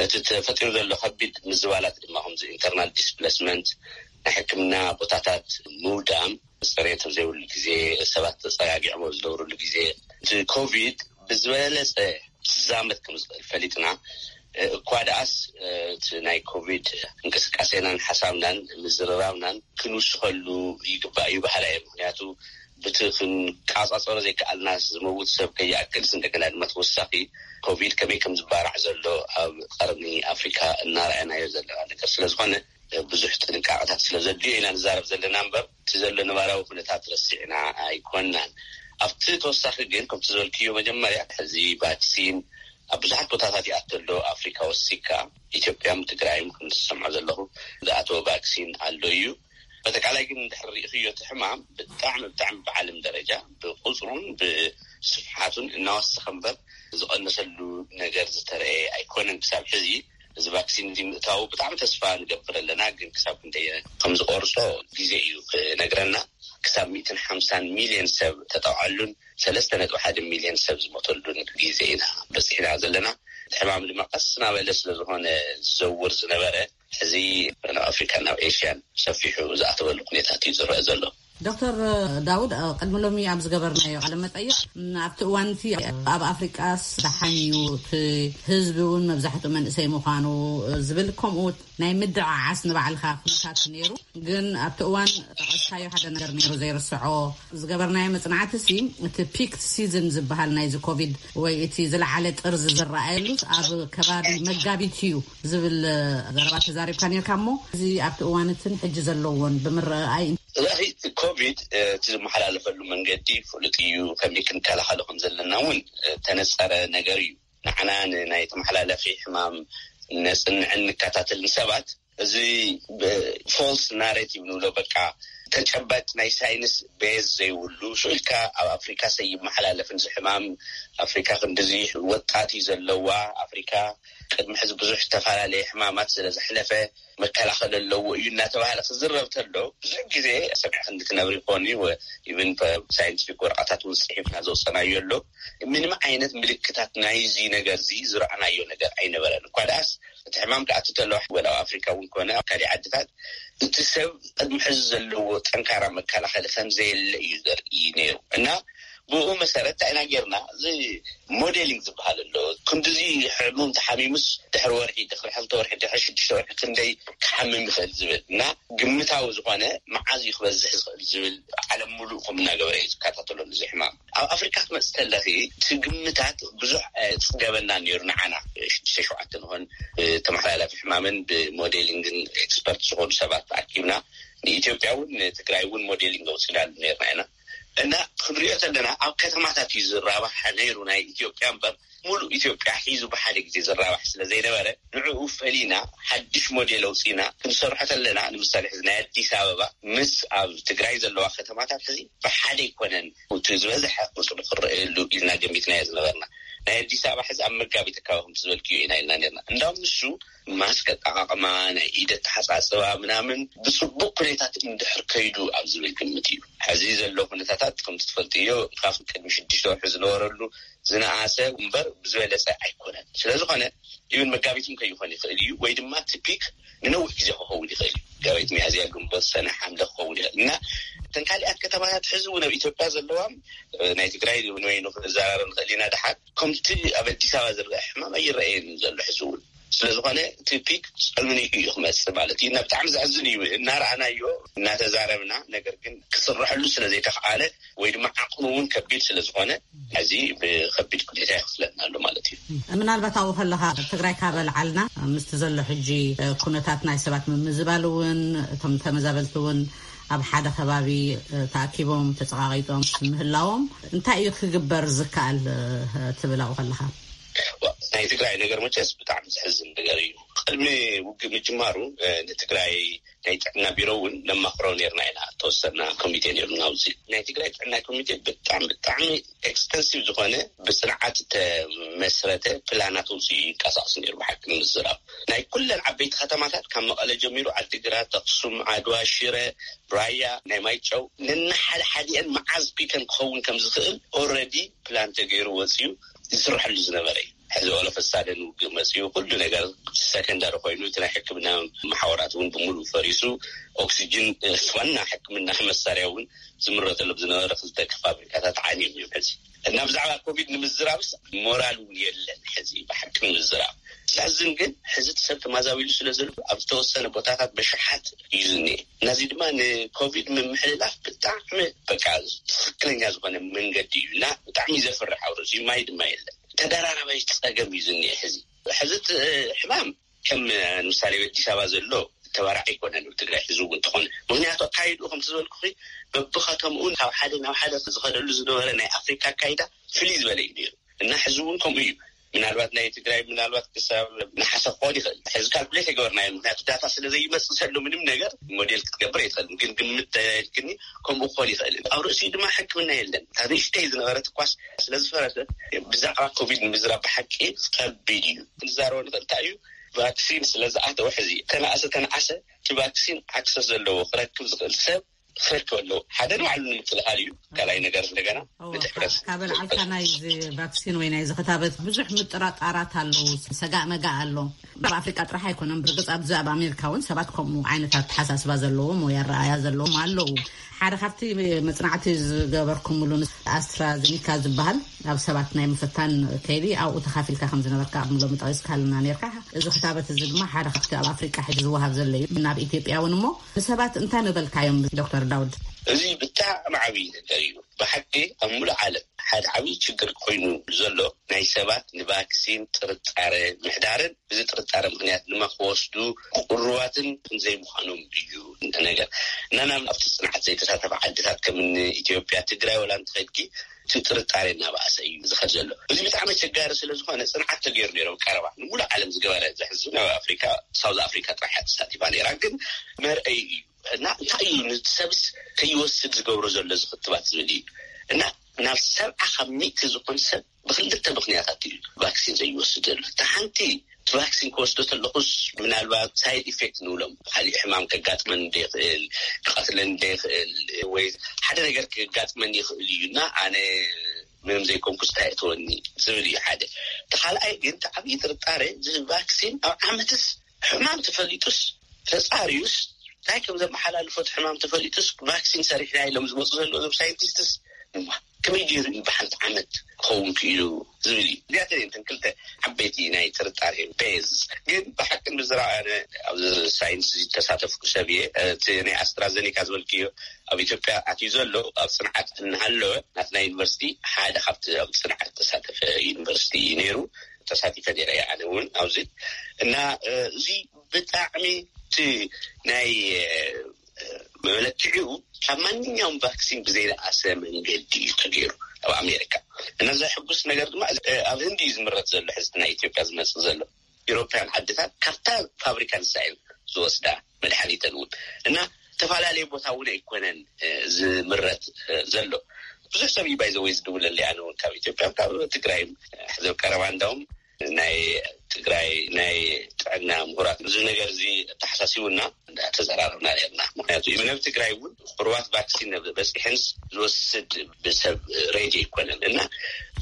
እቲ ተፈጢሩ ዘሎ ከቢድ ምዝባላት ድማ ከምዚ ኢንተርናል ዲስፕሌስመንት፣ ናይ ሕክምና ቦታታት ምውዳም፣ ጽሬት ኣብ ዘይብሉ ግዜ፣ ሰባት ተጸጋጊዖም ኣብ ዝነብሩሉ ግዜ፣ እቲ ኮቪድ ብዝበለጸ ክዛመት ከም ዝኽእል ፈሊጥና፣ እኳ ደኣስ እቲ ናይ ኮቪድ እንቅስቃሴናን ሓሳብናን ምዝርራብናን ክንውስኸሉ ይግባእ እዩ በሃላይ እየ። ምኽንያቱ ብቲ ክንቃጻጸሮ ዘይከኣልና ዝመውት ሰብ ከይኣክልስ፣ እንደገና ድማ ተወሳኺ ኮቪድ ከመይ ከም ዝባራዕ ዘሎ ኣብ ቀርኒ ኣፍሪካ እናረኣናዮ ዘለና ነገር ስለ ዝኾነ፣ ብዙሕ ጥንቃቐታት ስለ ዘድልዮ ኢና ንዛረብ ዘለና እምበር፣ እቲ ዘሎ ነባራዊ ኩነታት ረሲዕና ኣይኮናን። ኣብቲ ተወሳኺ ግን፣ ከምቲ ዝበልክዮ መጀመርያ፣ ሕዚ ቫክሲን ኣብ ብዙሓት ቦታታት ይኣቱ ኣሎ። ኣፍሪካ ወሲካ፣ ኢትዮጵያን ትግራይን፣ ከም ዝሰምዖ ዘለኹ፣ ዝኣተወ ቫክሲን ኣሎ እዩ። በጠቃላይ ግን፣ እንድሕር ርኢኽዮ፣ እቲ ሕማም ብጣዕሚ፣ ብጣዕሚ ብዓለም ደረጃ ብቁፅሩን ብስፍሓቱን እናወሰኸ እምበር ዝቐነሰሉ ነገር ዝተረኤ ኣይኮነን ክሳብ ሕዚ። እዚ ቫክሲን እዚ ምእታዉ ብጣዕሚ ተስፋ ንገብር ኣለና፣ ግን ክሳብ ክንደይ ከም ዝቆርጾ ግዜ እዩ ክነግረና። ክሳብ ሚእትን ሓምሳን ሚልዮን ሰብ ተጠውዓሉን ሰለስተ ነጥቢ ሓደ ሚልዮን ሰብ ዝሞተሉን ግዜ ኢና በጺሕና ዘለና። እቲ ሕማም ድማ ቀስ እናበለ ስለ ዝኾነ ዝዘውር ዝነበረ፣ ሕዚ ናብ ኣፍሪካን ናብ ኤሽያን ሰፊሑ ዝኣተወሉ ኩነታት እዩ ዝረአ ዘሎ። ዶክተር ዳውድ፣ ቅድሚ ሎሚ ኣብ ዝገበርናዮ ቃለ መጠይቕ፣ ኣብቲ እዋን እቲ ኣብ ኣፍሪቃስ ደሓን እዩ፣ እቲ ህዝቢ እውን መብዛሕትኡ መንእሰይ ምዃኑ ዝብል፣ ከምኡ ናይ ምድዓዓስ ንባዕልኻ ኩነታት ነይሩ። ግን ኣብቲ እዋን ጠቐስካዮ ሓደ ነገር ነይሩ ዘይርስዖ። ዝገበርናዮ መጽናዕቲ ሲ፣ እቲ ፒክ ሲዝን ዝበሃል ናይዚ ኮቪድ ወይ እቲ ዝለዓለ ጥርዚ ዝረኣየሉ ኣብ ከባቢ መጋቢት እዩ ዝብል ዘረባ ተዛሪብካ ነርካ። እሞ እዚ ኣብቲ እዋን እትን ሕጂ ዘለዎን ብምረኣይ፣ እቲ ኮቪድ እቲ ዝመሓላለፈሉ መንገዲ ፍሉጥ እዩ። ከመይ ክንከላኸሎ ከም ዘለና እውን ተነጸረ ነገር እዩ። ንዓና ንናይ ተመሓላለፊ ሕማም ነጽንዕን ንከታተልን ሰባት፣ እዚ ብፎልስ ናሬቲቭ ንብሎ፣ በቃ ተጨባጭ ናይ ሳይንስ ቤዝ ዘይብሉ፣ ሽዑ ኢልካ ኣብ ኣፍሪካ ሰይመሓላለፍን እዚ ሕማም፣ ኣፍሪካ ክንዲዚ ወጣት እዩ ዘለዋ፣ ኣፍሪካ ቅድሚ ሕዚ ብዙሕ ዝተፈላለየ ሕማማት ስለ ዘሕለፈ መከላኸል ኣለዎ እዩ እናተባሃለ ክዝረብ ተሎ፣ ብዙሕ ግዜ ሰሚዕክ እንትትነብር ይኾን እዩ። ኢቨን ሳይንቲፊክ ወረቐታት እውን ፅሒፍና ዘውፀናዮ ኣሎ። ምንም ዓይነት ምልክታት ናይዚ ነገር እዚ ዝረኣናዮ ነገር ኣይነበረን። እኳ ደኣስ እቲ ሕማም ክኣቱ ተሎ፣ ወላ ኣብ ኣፍሪካ እውን ኮነ ኣብ ካልእ ዓድታት፣ እቲ ሰብ ቅድሚ ሕዚ ዘለዎ ጠንካራ መከላኸሊ ከም ዘየለ እዩ ዘርኢ ነይሩ። እና ብኡ መሰረት እንታይ ኢና ጌርና? እዚ ሞዴሊንግ ዝበሃል ኣሎ። ክንዲዚ ሕሙም ተሓሚሙስ ድሕሪ ወርሒ፣ ድሕሪ ሕልተ ወርሒ፣ ድሕሪ ሽዱሽተ ወርሒ ክንደይ ክሓምም ይኽእል ዝብል እና ግምታዊ ዝኾነ መዓዝ እዩ ክበዝሕ ዝኽእል ዝብል ዓለም ሙሉእ ከም እናገበረ እዩ ዝከታተለሉ እዚ ሕማም። ኣብ ኣፍሪካ ክትመጽእ ተለኺ፣ እቲ ግምታት ብዙሕ ኣየጽገበና ነይሩ። ንዓና ሽዱሽተ ሸውዓተ ንኾን ብተመሓላላፊ ሕማምን ብሞዴሊንግን ኤክስፐርት ዝኾኑ ሰባት ተኣኪብና፣ ንኢትዮጵያ እውን ንትግራይ እውን ሞዴሊንግ ኣውፂናሉ ነይርና ኢና። እና ክንሪኦ ተለና፣ ኣብ ከተማታት እዩ ዝራባሕ ነይሩ። ናይ ኢትዮጵያ እምበር፣ ሙሉእ ኢትዮጵያ ሒዙ ብሓደ ግዜ ዝራባሕ ስለ ዘይነበረ፣ ንዕኡ ፈሊና ሓድሽ ሞዴል ኣውፂና ክንሰርሖ ተለና፣ ንምሳሌ ሕዚ ናይ ኣዲስ ኣበባ ምስ ኣብ ትግራይ ዘለዋ ከተማታት ሕዚ ብሓደ ኣይኮነን፣ እቲ ዝበዝሐ ቁፅሪ ክረኣየሉ ኢልና ገሚትናዮ ዝነበርና። ናይ ኣዲስ ኣበባ ሕዚ ኣብ መጋቢት ኣካባቢ ከምቲ ዝበልክዮ ኢና ኢልና ነርና። እንዳውም ንሱ ማስክ ኣጠቓቕማ፣ ናይ ኢድ ኣተሓፃፅባ ምናምን ብፅቡቅ ኩነታት እንድሕር ከይዱ ኣብ ዝብል ግምት እዩ። ሕዚ ዘሎ ኩነታታት ከምቲ ትፈልጥዮ፣ ካብ ቅድሚ ሽዱሽተ ወርሒ ዝነበረሉ ዝነኣሰ እምበር ብዝበለፀ ኣይኮነን። ስለ ዝኾነ፣ ኢብን መጋቢትም ከይኾን ይኽእል እዩ፣ ወይ ድማ እቲ ፒክ ንነዊሕ ግዜ ክኸውን ይኽእል እዩ። መጋቢት፣ ሚያዝያ፣ ግንቦት፣ ሰነ፣ ሓምለ ክኸውን ይኽእል እና እተን ካሊኣት ከተማታት ሕዚ እውን ኣብ ኢትዮጵያ ዘለዋም፣ እ፣ ናይ ትግራይ ንበይኑ ክንዘራረብ ንኽእል ኢና። ደሓር ከምቲ ኣብ ኣዲስ ኣበባ ዝረአ ሕማም ኣይረኣየን ዘሎ ሕዚ እውን። ስለ ዝኾነ እቲ ፒክ ጸልሚኑ እዩ ክመጽእ ማለት እዩ። እና ብጣዕሚ ዘሕዝን እዩ። እናረኣናዮ፣ እናተዛረብና፣ ነገር ግን ክስረሐሉ ስለ ዘይተኽኣለ ወይ ድማ ዓቕኑ እውን ከቢድ ስለ ዝኾነ፣ ሕዚ ብኸቢድ ኩኔታ ይኽስለና ኣሎ ማለት እዩ። ምናልባት ኣብኡ ከለኻ ትግራይ ካብ ኣልዓልና፣ ምስቲ ዘሎ ሕጂ ኩነታት ናይ ሰባት ምምዝባል እውን፣ እቶም ተመዛበልቲ እውን ኣብ ሓደ ከባቢ ተኣኪቦም ተፀቃቂጦም ምህላዎም እንታይ እዩ ክግበር ዝከኣል ትብል ኣብኡ ከለኻ? ዋ፣ ናይ ትግራይ ነገር መቸስ ብጣዕሚ ዘሕዝን ነገር እዩ። ቅድሚ ውግእ ምጅማሩ፣ እ፣ ንትግራይ ናይ ጥዕና ቢሮ እውን ነማኽሮ ነርና ኢና። ተወሰና ኮሚቴ ነርና ኣብዚ። ናይ ትግራይ ጥዕና ኮሚቴ ብጣዕሚ፣ ብጣዕሚ ኤክስተንሲቭ ዝኾነ ብፅንዓት ተመስረተ ፕላናት ውፅኡ ይንቀሳቐስ ነይሩ። ብሓቂ ንምዝራብ ናይ ኩለን ዓበይቲ ከተማታት ካብ መቐለ ጀሚሩ ዓዲግራት፣ ኣኽሱም፣ ዓድዋ፣ ሽረ፣ ራያ፣ ናይ ማይጨው ነናሓደ ሓዲአን መዓዝ ፒከን ክኸውን ከም ዝኽእል ኦልሬዲ ፕላን ተገይሩ ወፅዩ ይስርሐሉ ዝነበረ እዩ። ሕዚ ኦለፈሳደን ውግእ መፅኡ ኩሉ ነገር ሰከንዳሪ ኮይኑ እቲ ናይ ሕክምና መሓወራት እውን ብምሉእ ፈሪሱ ኦክሲጅን፣ እ፣ ዋና ሕክምና መሳርያ እውን ዝምረተሎም ዝነበረ ክልተ ፋብሪካታት ዓንዮም እዮም። ሕዚ እና ብዛዕባ ኮቪድ ንምዝራብስ ሞራል እውን የለን። ሕዚ ብሓቂ ንምዝራብ ዘሕዝን ግን ሕዚ እቲ ሰብ ተማዛቢሉ ስለ ዘሎ ኣብ ዝተወሰነ ቦታታት በሽሓት እዩ ዝኒኤ። ነዚ ድማ ንኮቪድ ምምሕልላፍ ብጣዕሚ በቃ ትኽክለኛ ዝኾነ መንገዲ እዩ እና ብጣዕሚ ዘፍርሕ ኣውርስ እዩ። ማይ ድማ የለን። ተደራራባይ ጸገም እዩ ዝኒኤ ሕዚ። ሕዚ እቲ ሕማም ከም ንምሳሌ ኣብ ኣዲስ ኣበባ ዘሎ ተባራዕ ኣይኮነን ኣብ ትግራይ ሕዚ እውን እንተኾነ። ምኽንያቱ ኣካይድኡ ከምቲ ዝበልኩኺ በብኸተምኡ ካብ ሓደ ናብ ሓደ ዝኸደሉ ዝነበረ ናይ ኣፍሪካ ኣካይዳ ፍልይ ዝበለ እዩ ነይሩ እና ሕዚ እውን ከምኡ እዩ። ምናልባት ናይ ትግራይ ምናልባት ክሳብ ነሓሰ ክኾን ይኽእል። ሕዚ ካልኩሌት ኣይገበርናዮ፣ ምኽንያቱ ዳታ ስለ ዘይመጽእ ዘሎ ምንም ነገር ሞዴል ክትገብር ኣይትኽእልን። ግን ግምት ተልክኒ ከምኡ ክኾን ይኽእል። ኣብ ርእሲኡ ድማ ሕክምና የለን። እታ ንእሽተይ ዝነበረት እኳስ ስለ ዝፈረሰት ብዛዕባ ኮቪድ ንምዝራብ ብሓቂ ከቢድ እዩ። ክንዛረቦ ንኽእል እንታይ እዩ፣ ቫክሲን ስለ ዝኣተወ ሕዚ ተነኣሰ ተነኣሰ እቲ ቫክሲን ኣክሰስ ዘለዎ ክረክብ ዝኽእል ሰብ ክፈቱ ኣለዉ። ሓደ ንባዕሉ ንምክልኻል እዩ። ካልኣይ ነገር እንደገና ንድሕረስ ካብ ኣልዓልካ ናይዚ ቫክሲን ወይ ናይዚ ክታበት ብዙሕ ምጥራጣራት ኣለዉ። ሰጋእ መጋእ ኣሎ። ኣብ ኣፍሪቃ ጥራሕ ኣይኮነን። ብርግፅ ኣብዚ ኣብ ኣሜሪካ እውን ሰባት ከምኡ ዓይነት ኣተሓሳስባ ዘለዎም ወይ ኣረኣያ ዘለዎም ኣለዉ። ሓደ ካብቲ መፅናዕቲ ዝገበርኩምሉ ኣስትራዜኒካ ዝበሃል ኣብ ሰባት ናይ ምፍታን ከይዲ ኣብኡ ተኻፊልካ ከም ዝነበርካ ኣብ ሎሚ ጠቂስካልና ነርካ። እዚ ክታበት እዚ ድማ ሓደ ካብቲ ኣብ ኣፍሪቃ ሕጂ ዝወሃብ ዘሎ እዩ። ናብ ኢትዮጵያ እውን እሞ ንሰባት እንታይ ምበልካዮም ዶክተር ዳውድ? እዚ ብጣዕሚ ዓብዪ ነገር እዩ። ብሓቂ ኣብ ሙሉእ ዓለም ሓደ ዓብዪ ችግር ኮይኑ ዘሎ ናይ ሰባት ንቫክሲን ጥርጣረ ምሕዳርን፣ እዚ ጥርጣረ ምክንያት ድማ ክወስዱ ቅሩባትን ዘይምዃኖም እዩ ነገር። እና ናብ ኣብቲ ፅንዓት ዘይተሳተፈ ዓድታት ከም ኢትዮጵያ፣ ትግራይ ወላ እንተኸድኪ እቲ ጥርጣሬ እናባእሰ እዩ ዝኸድ ዘሎ። እዚ ብጣዕሚ ኣቸጋሪ ስለ ዝኾነ ፅንዓት ተገይሩ ነይሮም ቀረባ ንሙሉእ ዓለም ዝገበረ ዘሕዝን ኣብ ኣፍሪካ ሳውዝ ኣፍሪካ ጥራሕ እያ ተሳቲፋ ነይራ። ግን መርአይ እዩ እና እንታይ እዩ ንሰብስ ከይወስድ ዝገብሮ ዘሎ ዝክትባት ዝብል እዩ። እና ናብ ሰብዓ ካብ ሚእቲ ዝኾን ሰብ ብክልተ ምክንያታት እዩ ቫክሲን ዘይወስድ ዘሎ። እቲ ሓንቲ እቲ ቫክሲን ክወስዶ ተለኹስ ምናልባት ሳይድ ኢፌክት ንብሎም ካሊእ ሕማም ከጋጥመን እንደይኽእል፣ ክቐትለን እንደይኽእል ወይ ሓደ ነገር ክጋጥመን ይኽእል እዩ እና ኣነ ምንም ዘይኮንኩስ እንታይ እተወኒ ዝብል እዩ ሓደ። እቲ ካልኣይ ግን እቲ ዓብዪ ጥርጣሬ እዚ ቫክሲን ኣብ ዓመትስ ሕማም ተፈሊጡስ ተፃርዩስ እንታይ ከም ዘመሓላልፎ እቲ ሕማም ተፈሊጡስ ቫክሲን ሰሪሕና ኢሎም ዝመፁ ዘለዉ እዞም ሳይንቲስትስ እማ ከመይ ገይሩ እዩ ብሓንቲ ዓመት ክኸውን ክኢሉ ዝብል እዩ። እዚኣተን እየን ክልተ ዓበይቲ ናይ ጥርጣሬ ቤዝ። ግን ብሓቂ ምዝራብ ኣነ ኣብዚ ሳይንስ ዝተሳተፍኩ ሰብ እየ። እቲ ናይ ኣስትራዘኒካ ዝበልክዮ ኣብ ኢትዮጵያ ኣትዩ ዘሎ ኣብ ፅንዓት እናሃለወ ናትና ዩኒቨርሲቲ ሓደ ካብቲ ኣብ ፅንዓት ተሳተፈ ዩኒቨርሲቲ እዩ ነይሩ። ተሳቲፈ ነይረ እየ ኣነ እውን ኣብዚ እና እዚ ብጣዕሚ እቲ ናይ መለክዒኡ ካብ ማንኛውም ቫክሲን ብዘይነኣሰ መንገዲ እዩ ተገይሩ ኣብ ኣሜሪካ። እና ዘሕጉስ ነገር ድማ ኣብ ህንዲ እዩ ዝምረት ዘሎ ሕዚ ናይ ኢትዮጵያ ዝመፅእ ዘሎ። ኢሮፓያን ዓድታት ካብታ ፋብሪካ ንሳ እየን ዝወስዳ መድሓኒተን እውን እና ዝተፈላለየ ቦታ እውን ኣይኮነን ዝምረት ዘሎ። ብዙሕ ሰብ እዩ ባይዘወይ ዝድውለለይ ኣነ እውን ካብ ኢትዮጵያ ካብ ትግራይ ሕዚ ቀረባ እንዳውም ናይ ትግራይ ናይ ጥዕና ምሁራት እዚ ነገር እዚ ኣተሓሳሲቡና እንዳተዘራረብና ነርና። ምክንያቱ ኢቨን ኣብ ትግራይ እውን ቅሩባት ቫክሲን በፂሐንስ ዝወስድ ብሰብ ሬዲ ኣይኮነን እና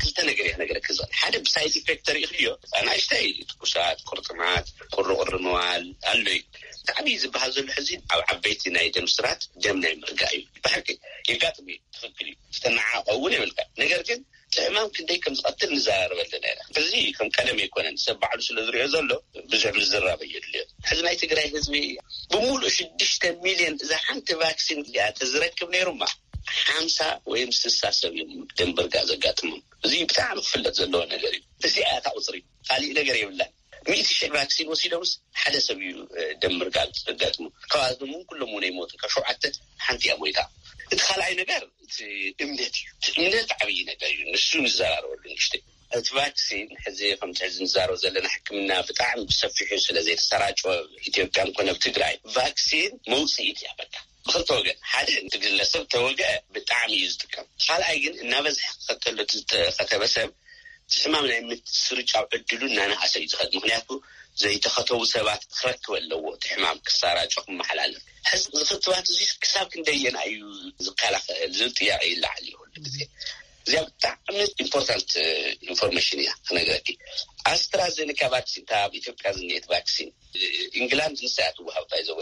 ክልተ ነገር እየ ክነገረክ ዝኽእል። ሓደ ብሳይድ ኢፌክት ተሪእክዮ ኣናእሽተይ ትኩሳት፣ ቁርጥማት፣ ቁርቁር ምባል ኣሎ እዩ። ብጣዕሚ ዝበሃል ዘሎ ሕዚ ኣብ ዓበይቲ ናይ ደም ስራት ደም ናይ ምርጋእ እዩ። ብሓቂ የጋጥም እዩ። ትኽክል እዩ። ዝተነዓቀ እውን የብልካ። ነገር ግን እቲ ሕማም ክንደይ ከም ዝቐትል ንዘራረበሉ ነይረ። እዚ ከም ቀደም ኣይኮነን። ሰብ ባዕሉ ስለ ዝሪኦ ዘሎ ብዙሕ ምዝራብ ኣየድልዮ። ሕዚ ናይ ትግራይ ህዝቢ ብምሉእ ሽዱሽተ ሚልዮን እዛ ሓንቲ ቫክሲን እዚኣ ተዝረክብ ነይሩማ ሓምሳ ወይም ስሳ ሰብ እዮም ደንበርጋ ዘጋጥሞም። እዚ ብጣዕሚ ክፍለጥ ዘለዎ ነገር እዩ። እዚኣ እያ እታ ቁፅሪ፣ ካሊእ ነገር የብላን። ሚእቲ ሽሕ ቫክሲን ወሲዶምስ ሓደ ሰብ እዩ ደም ምርጋግ ዘጋጥሙ። ካብኣቶም እውን ኩሎም እውን ኣይሞቱን። ካብ ሸውዓተ ሓንቲ እያ ሞይታ። እቲ ካልኣይ ነገር እቲ እምነት እዩ። እቲ እምነት ዓብዪ ነገር እዩ። ንሱ ንዘራረበሉ ንእሽተይ። እቲ ቫክሲን ሕዚ ከምቲ ሕዚ ንዛረብ ዘለና ሕክምና ብጣዕሚ ብሰፊሑ ስለ ዘይተሰራጨወ ኢትዮጵያ ኮነ ኣብ ትግራይ ቫክሲን መውፅኢት እያ። በቃ ብክልተ ወገን፣ ሓደ እቲ ግለሰብ ተወግአ ብጣዕሚ እዩ ዝጥቀም። ካልኣይ ግን እናበዝሐ ክኸተሎ እቲ ዝተኸተበ ሰብ እቲ ሕማም ናይ ምስርጫው ዕድሉ እናነኣሰ እዩ ዝኸድ። ምክንያቱ ዘይተኸተቡ ሰባት ክረክብ ኣለዎ እቲ ሕማም ክሰራጮ ክመሓላለፍ። ሕዚ እዚ ክትባት እዚ ክሳብ ክንደየና እዩ ዝከላኸል ዝብል ጥያቄ ይለዓል እዩ ኩሉ ግዜ። እዚኣ ብጣዕሚ ኢምፖርታንት ኢንፎርሜሽን እያ ክነግረኪ። ኣስትራዜኒካ ቫክሲን እታ ኣብ ኢትዮጵያ ዝኒሄት ቫክሲን ኢንግላንድ ንሳ እያ ትወሃብ ባይዘወ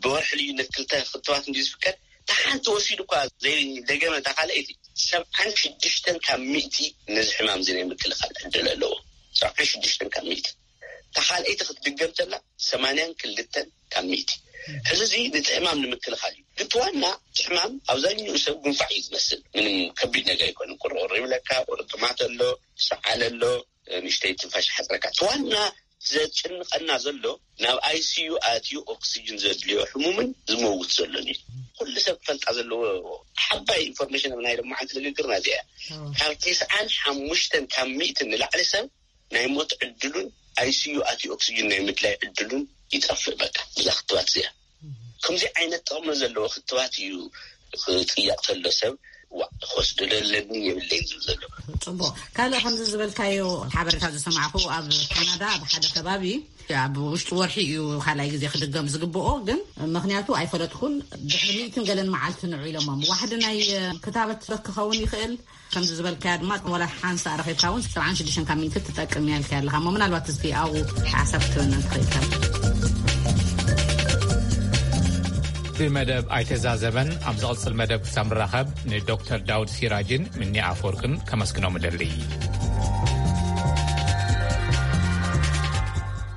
ብወርሒ ልዩነት ክልተ ክትባት እንዲ ዝፍቀድ ተሓንቲ ወሲዱ እኳ ዘይደገመ እታ ካልኣይቲ ሰብዓን ሽዱሽተን ካብ ሚእቲ ነዚ ሕማም እዚ ናይ ምክልኻል ዕድል ኣለዎ። ሰብዓን ሽዱሽተን ካብ ሚእቲ። እታ ካልኣይቲ ክትድገም ተላ ሰማንያን ክልተን ካብ ሚእቲ። ሕዚ እዚ ነቲ ሕማም ንምክልኻል እዩ። ግን እቲ ዋና እቲ ሕማም ኣብዛኛኡ ሰብ ጉንፋዕ እዩ ዝመስል። ምንም ከቢድ ነገር ኣይኮነን። ቁርቁር ይብለካ፣ ቁርጥማት ኣሎ፣ ሰዓል ኣሎ፣ ንእሽተይ ትንፋሽ ሓፅረካ። እቲ ዋና ዘጭንቐና ዘሎ ናብ ኣይሲዩ ኣትዩ ኦክሲጅን ዘድልዮ ሕሙምን ዝመውት ዘሎን እዩ። ኩሉ ሰብ ክፈልጣ ዘለዎ ሓባይ ኢንፎርሜሽን ኣብ ናይ ሎማዓንቲ ንግግርና እዚኣ እያ። ካብ ተስዓን ሓሙሽተን ካብ ሚእትን ንላዕሊ ሰብ ናይ ሞት ዕድሉን ኣይሲዩ ኣትዩ ኦክሲጅን ናይ ምድላይ ዕድሉን ይጠፍእ። በቃ እዛ ክትባት እዚኣ ከምዚ ዓይነት ጥቕሚ ዘለዎ ክትባት እዩ ክጥየቕ ተሎ ሰብ ዋዕ ክወስዶ ደለኒ የብለይ ዝብል ዘሎ። ጽቡቕ። ካልእ ከምዚ ዝበልካዮ ሓበሬታ ዝሰማዕኩ፣ ኣብ ካናዳ ኣብ ሓደ ከባቢ ኣብ ውሽጢ ወርሒ እዩ ካልኣይ ግዜ ክድገም ዝግብኦ፣ ግን ምኽንያቱ ኣይፈለጥኩን። ድሕሪ ሚእትን ገለን መዓልቲ ንዑ ኢሎሞም። ዋሕዲ ናይ ክታበት ክኸውን ይኽእል። ከምዚ ዝበልካያ ድማ ወላ ሓንሳ ረኺብካ እውን ሰብዓን ሽዱሽተን ካብ ሚእቲ ትጠቅም እያ ኢልካ ኣለኻ እሞ፣ ምናልባት እስቲ ኣብኡ ሓሳብ ክትበና ትኽእል ኢኻ። ብመደብ ኣይተዛዘመን። ኣብ ዝቕጽል መደብ ክሳብ ንራኸብ፣ ንዶክተር ዳውድ ሲራጅን ምኒ ኣፈወርቅን ከመስግኖም እደሊ።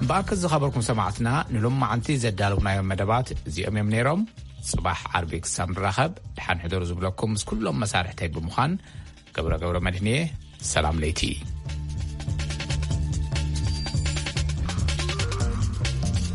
ብኣክል ዝኸበርኩም ሰማዕትና፣ ንሎማዓንቲ ዘዳለውናዮም መደባት እዚኦም እዮም ነይሮም። ጽባሕ ዓርቢ ክሳብ ንራኸብ፣ ድሓን ሕደሩ ዝብለኩም ምስ ኩሎም መሳርሕተይ ብምዃን፣ ገብረ ገብረ መድህንየ፣ ሰላም ለይቲ።